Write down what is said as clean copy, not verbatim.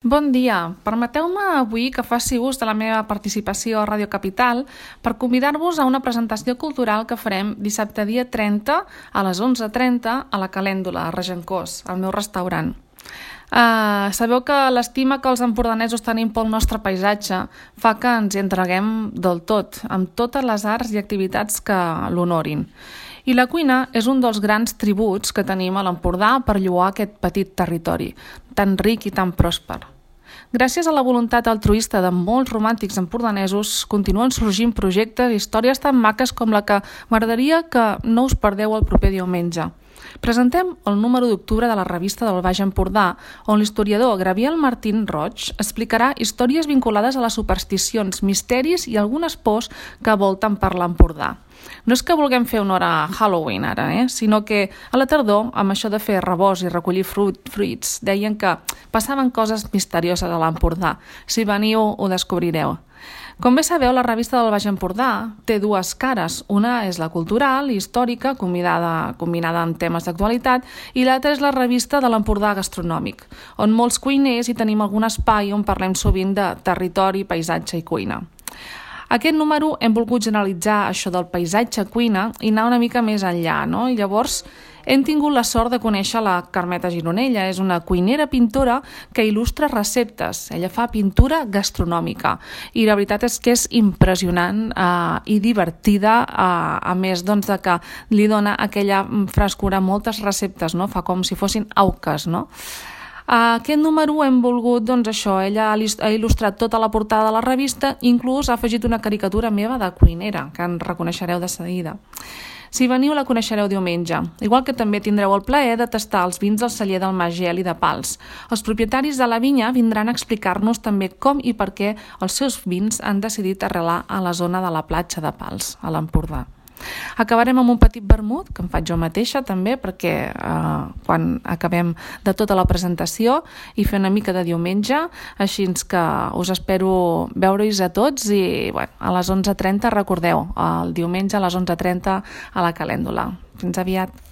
Bon dia. Permeteu-me avui que faci ús de la meva participació a Ràdio Capital per convidar-vos a una presentació cultural que farem dissabte dia 30 a les 11:30 a la Calèndula, a Regencós, al meu restaurant. Sabeu que l'estima que els empordanesos tenim pel nostre paisatge fa que ens hi entreguem del tot, amb totes les arts i activitats que l'honorin. I la cuina és un dels grans tributs que tenim a l'Empordà per lloar aquest petit territori, tan ric i tan pròsper. Gràcies a la voluntat altruista de molts romàntics empordanesos, continuen sorgint projectes i històries tan maques com la que m'agradaria que no us perdeu el proper diumenge. Presentem el número d'octubre de la revista del Baix Empordà, on l'historiador Gabriel Martín Roig explicarà històries vinculades a les supersticions, misteris i algunes pors que volten per l'Empordà. No és que vulguem fer honor a Halloween ara, sinó que a la tardor, amb això de fer rebost i recollir fruits, deien que passaven coses misterioses a l'Empordà. Si veniu, ho descobrireu. Com bé sabeu, la revista del Baix Empordà té dues cares. Una és la cultural i històrica, combinada amb temes d'actualitat, i l'altra és la revista de l'Empordà gastronòmic, on molts cuiners hi tenim algun espai on parlem sovint de territori, paisatge i cuina. Aquest número hem volgut generalitzar això del paisatge-cuina i anar una mica més enllà, I llavors hem tingut la sort de conèixer la Carmeta Gironella. És una cuinera pintora que il·lustra receptes. Ella fa pintura gastronòmica i la veritat és que és impressionant i divertida, a més de que li dona aquella frescura a moltes receptes, fa com si fossin auques, Aquest número hem volgut, ella ha il·lustrat tota la portada de la revista, inclús ha afegit una caricatura meva de cuinera, que en reconeixereu de seguida. Si veniu la coneixereu diumenge, igual que també tindreu el plaer de tastar els vins del celler del Mas Geli de Pals. Els propietaris de la vinya vindran a explicar-nos també com i per què els seus vins han decidit arrelar a la zona de la platja de Pals, a l'Empordà. Acabarem amb un petit vermut, que em faig jo mateixa també, perquè quan acabem de tota la presentació i fer una mica de diumenge, així que us espero veure-hi a tots i a les 11:30 recordeu, el diumenge a les 11:30 a la Calèndula. Fins aviat.